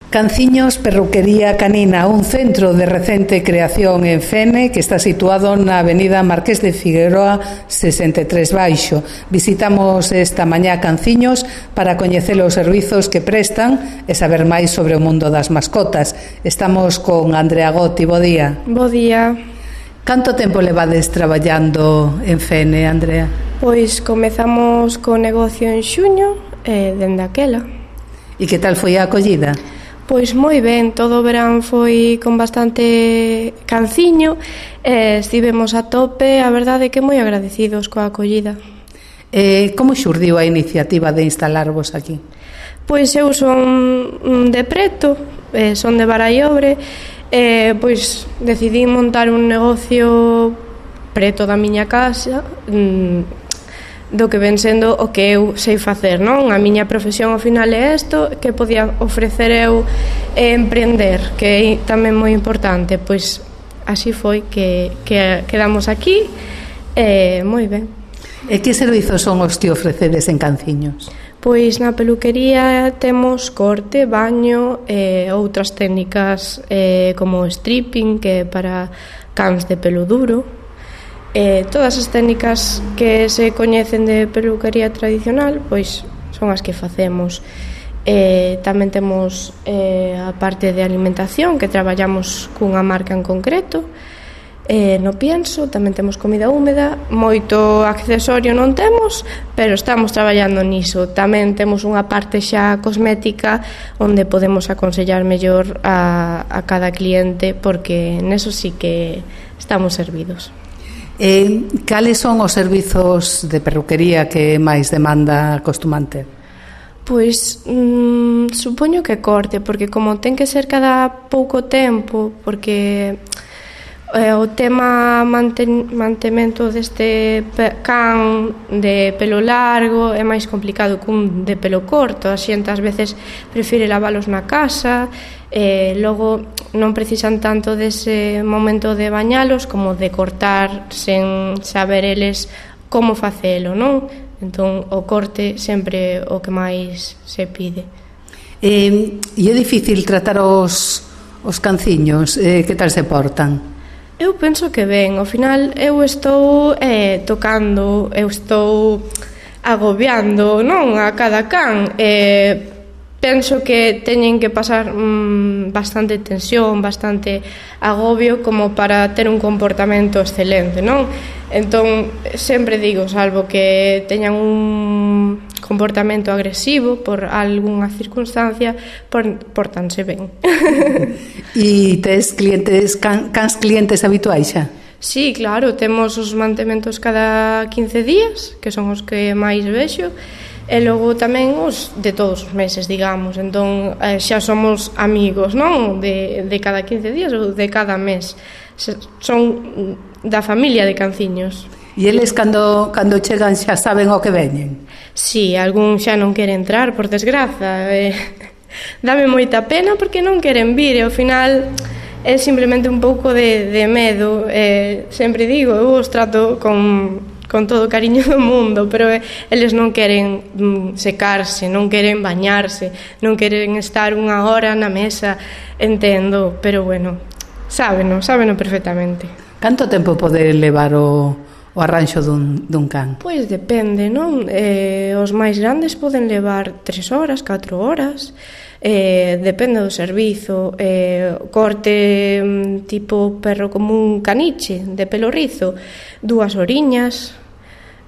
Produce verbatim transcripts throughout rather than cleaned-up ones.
Canciños Perruquería Canina, un centro de recente creación en Fene que está situado na avenida Marqués de Figueroa sesenta e tres Baixo. Visitamos esta mañá Canciños para coñecer os servizos que prestan e saber máis sobre o mundo das mascotas. Estamos con Andrea Gotti. Bo día. Bo día. Canto tempo levades traballando en Fene, Andrea? Pois comezamos co negocio en xuño e dende aquela. E que tal foi a acollida? Pois moi ben, todo o verán foi con bastante canciño e estivemos a tope, a verdade é que moi agradecidos coa acollida. Eh, como xurdiu a iniciativa de instalarvos aquí? Pois eu son de Preto, eh, son de Barallobre, e pois decidí montar un negocio preto da miña casa, mmm, do que ven sendo o que eu sei facer, non? A miña profesión ao final é isto, que podía ofrecer eu e emprender, que é tamén moi importante. Pois así foi que, que quedamos aquí e moi ben. E que servizos son os que ofrecedes en Canciños? Pois na peluquería temos corte, baño e outras técnicas eh, como stripping, que é para cans de pelo duro. Eh, todas as técnicas que se coñecen de peluquería tradicional pois son as que facemos. Eh, tamén temos eh, a parte de alimentación, que traballamos cunha marca en concreto. Eh, no pienso, tamén temos comida húmeda, moito accesorio non temos, pero estamos traballando niso. Tamén temos unha parte xa cosmética onde podemos aconsellar mellor a, a cada cliente, porque neso sí que estamos servidos. Eh, cales son os servizos de perruquería que máis demanda acostuman ter? Pois mmm, supoño que corte, porque como ten que ser cada pouco tempo, porque eh, o tema manten, mantemento deste can de pelo largo é máis complicado cun de pelo corto. A xente ás veces prefire lavalos na casa, e logo non precisan tanto dese momento de bañalos como de cortar sen saber eles como facelo, non? Entón o corte sempre o que máis se pide. Eh, e é difícil tratar os, os canciños? Eh, que tal se portan? Eu penso que ben, ao final eu estou eh, tocando, eu estou agobiando, non, a cada can. Eh, penso que teñen que pasar mmm, bastante tensión, bastante agobio como para ter un comportamento excelente, non? Entón, sempre digo, salvo que teñan un comportamento agresivo por algunha circunstancia, por, portanse ben. E tes clientes, can, cans clientes habituais xa? Sí, claro, temos os mantementos cada quince días, que son os que máis vexo, e logo tamén os de todos os meses, digamos. Entón eh, xa somos amigos, non? De, de cada quince días ou de cada mes. Son da familia de Canciños. E eles cando, cando chegan xa saben o que veñen? Sí, algún xa non quere entrar, por desgraza. Eh, dame moita pena porque non queren vir, e ao final é simplemente un pouco de, de medo. Eh, sempre digo, eu os trato con... con todo o cariño do mundo, pero eles non queren mm, secarse, non queren bañarse, non queren estar unha hora na mesa, entendo, pero bueno, sábeno, sábeno perfectamente. Canto tempo pode levar o, o arranxo dun, dun can? Pois depende, non? Eh, os máis grandes poden levar tres horas, catro horas, eh, depende do servizo. Eh, corte mm, tipo perro común caniche, de pelo rizo, dúas horiñas.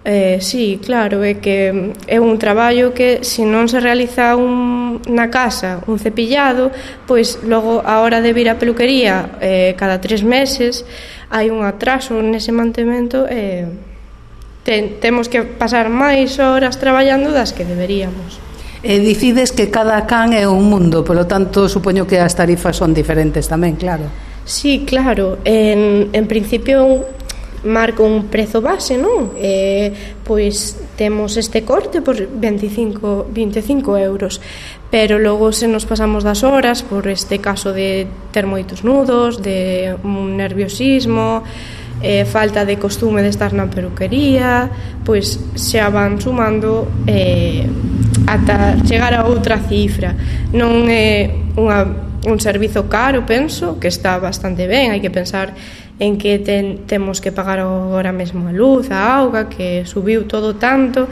Eh, sí, claro, é que é un traballo que se non se realiza un, na casa un cepillado, pois logo a hora de vir á peluquería eh, cada tres meses hai un atraso nese mantemento e eh, te, temos que pasar máis horas traballando das que deberíamos. E dicides que cada can é un mundo, polo tanto supoño que as tarifas son diferentes tamén, claro. Sí, claro, en, en principio marco un prezo base, non? Eh, pois temos este corte por veinticinco, veinticinco euros, pero logo se nos pasamos das horas por este caso de ter moitos nudos, de un nerviosismo, eh, falta de costume de estar na peluquería, pois xa van sumando eh, ata chegar a outra cifra. Non é unha, un servizo caro, penso, que está bastante ben. Hai que pensar en que ten, temos que pagar agora mesmo a luz, a auga, que subiu todo tanto.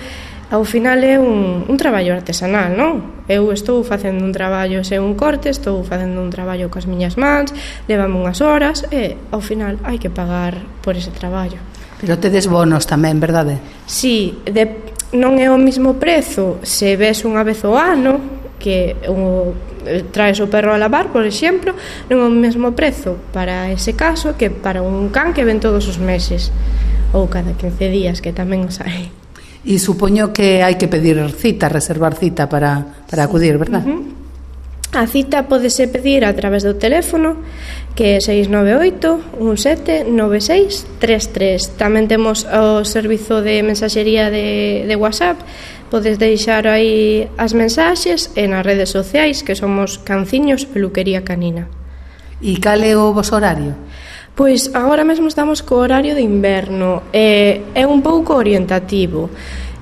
Ao final é un, un traballo artesanal, non? Eu estou facendo un traballo sen un corte, estou facendo un traballo coas miñas mans, levame unhas horas e ao final hai que pagar por ese traballo. Pero tedes bonos tamén, verdade? Si, de, non é o mismo prezo se ves unha vez ao ano, que o, traes o perro a lavar, por exemplo, non é o mesmo prezo para ese caso que para un can que ven todos os meses ou cada quince días, que tamén os hai. E supoño que hai que pedir cita, reservar cita para, para acudir, verdad? Uh-huh. A cita pódese pedir a través do teléfono, que é seis nove oito, un sete, nove seis tres tres. Tamén temos o servizo de mensaxería de, de WhatsApp. Podes deixar aí as mensaxes e nas redes sociais, que somos Canciños Peluquería Canina. E cal é o vos horario? Pois agora mesmo estamos co horario de inverno, eh, é un pouco orientativo.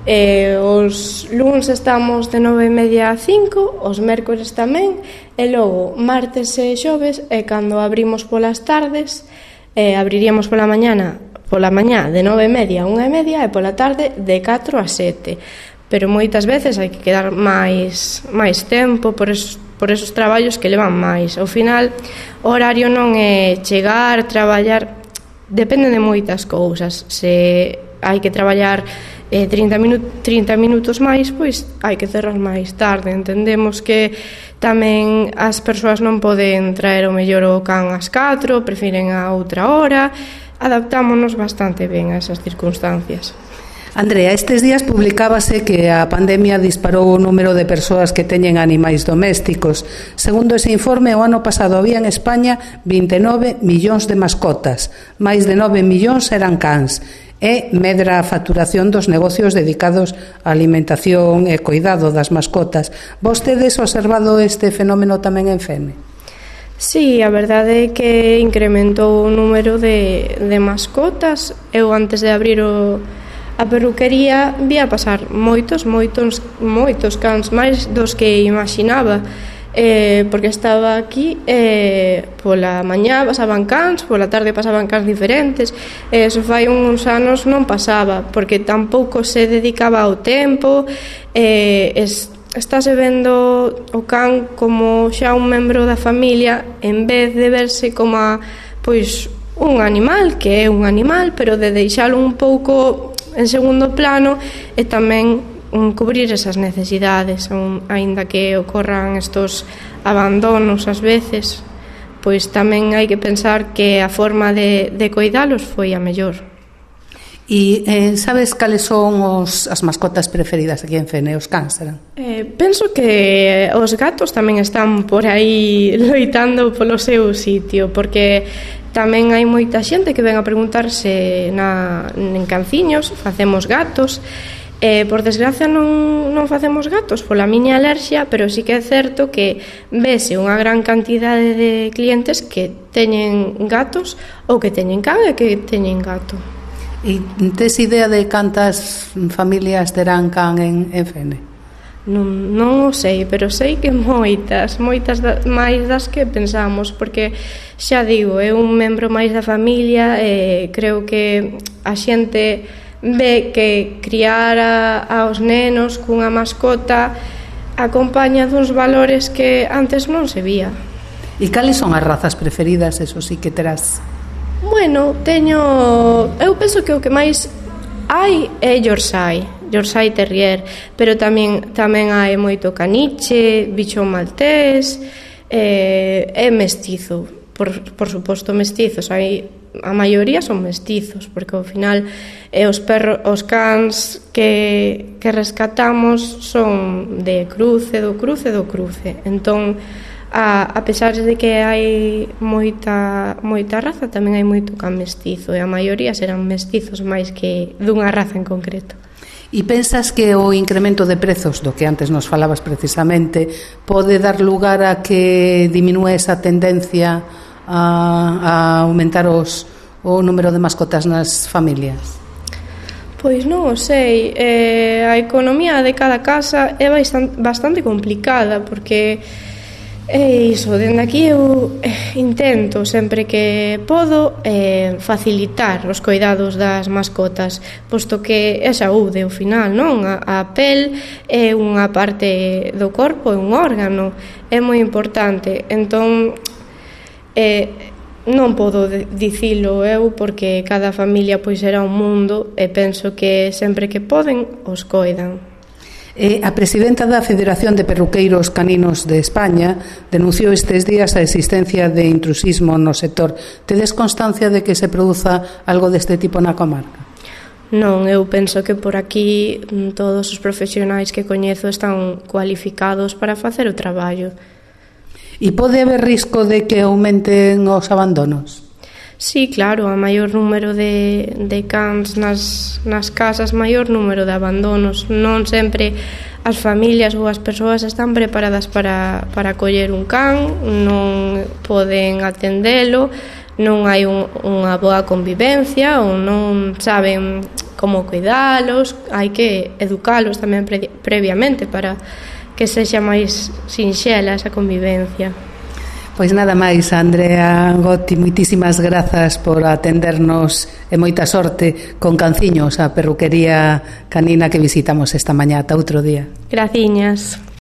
Eh, os luns estamos de nove e media a cinco, os mércores tamén, e logo martes e xoves é cando abrimos polas tardes, eh, abriríamos pola mañana, pola mañá de nove e media a unha e media e pola tarde de catro a sete. Pero moitas veces hai que quedar máis, máis tempo por esos por esos traballos que levan máis. Ao final, o horario non é chegar, traballar, depende de moitas cousas. Se hai que traballar eh, trinta, minu- trinta minutos máis, pois hai que cerrar máis tarde. Entendemos que tamén as persoas non poden traer o mellor o can ás catro, prefiren a outra hora. Adaptámonos bastante ben a esas circunstancias. Andrea, estes días publicábase que a pandemia disparou o número de persoas que teñen animais domésticos. Segundo ese informe, o ano pasado había en España vinte e nove millóns de mascotas, máis de nove millóns eran cans, e medra a facturación dos negocios dedicados á alimentación e cuidado das mascotas. Vos tedes observado este fenómeno tamén en Fene? Sí, a verdade é que incrementou o número de, de mascotas. Eu antes de abrir o a peluquería vía pasar moitos, moitos, moitos cans, máis dos que imaginaba, eh, porque estaba aquí, eh, pola mañá pasaban cans, pola tarde pasaban cans diferentes, e eso fai uns anos non pasaba, porque tampouco se dedicaba ao tempo, eh, es, estáse vendo o can como xa un membro da familia, en vez de verse como a, pois, un animal, que é un animal, pero de deixalo un pouco en segundo plano e tamén um, cubrir esas necesidades, um, aínda que ocorran estos abandonos ás veces, pois tamén hai que pensar que a forma de, de cuidalos foi a mellor. E eh, sabes cales son os, as mascotas preferidas aquí en Fene, os cans, serán? Eh, penso que os gatos tamén están por aí loitando polo seu sitio, porque tamén hai moita xente que ven a preguntarse na, en Canciños, facemos gatos, eh, por desgracia non, non facemos gatos pola miña alerxia, pero sí que é certo que vese unha gran cantidade de clientes que teñen gatos ou que teñen can e que teñen gato. E tes idea de cantas familias terán can en, en Fene? Non, non o sei, pero sei que moitas, moitas da, máis das que pensamos, porque xa digo, é un membro máis da familia e creo que a xente ve que criar a, aos nenos cunha mascota acompaña duns valores que antes non se vía. E cales son as razas preferidas, eso sí que terás? Bueno, teño... Eu penso que o que máis hai é Yorkshire, Yorkshire Terrier, pero tamén tamén hai moito caniche, bichón maltés, eh, é mestizo, por, por suposto mestizos, hai, a maioría son mestizos, porque ao final eh, os perros, os cans que, que rescatamos son de cruce, do cruce, do cruce, entón a, a pesar de que hai moita, moita raza, tamén hai moito can mestizo, e a maioría serán mestizos máis que dunha raza en concreto. E pensas que o incremento de prezos do que antes nos falabas precisamente pode dar lugar a que diminúe esa tendencia a, a aumentar os, o número de mascotas nas familias? Pois non o sei, eh, a economía de cada casa é bastante complicada, porque E iso, dende aquí eu intento sempre que podo eh, facilitar os cuidados das mascotas, posto que é saúde ao final, non? A, a pel é unha parte do corpo, é un órgano, é moi importante. Entón, eh, non podo dicilo eu porque cada familia pois será un mundo e penso que sempre que poden os coidan. E a presidenta da Federación de Perruqueiros Caninos de España denunciou estes días a existencia de intrusismo no sector. Tedes constancia de que se produza algo deste tipo na comarca? Non, eu penso que por aquí todos os profesionais que coñezo están cualificados para facer o traballo. E pode haber risco de que aumenten os abandonos? Sí, claro, a maior número de, de cans nas, nas casas, maior número de abandonos. Non sempre as familias ou as persoas están preparadas para, para coller un can, non poden atendelo, non hai un, unha boa convivencia ou non saben como cuidalos, hai que educalos tamén pre, previamente para que sexa máis sinxela esa convivencia. Pois nada máis, Andrea Gotti, moitísimas grazas por atendernos e moita sorte con Canciños, a perruquería canina que visitamos esta mañá. Ata outro día. Graciñas.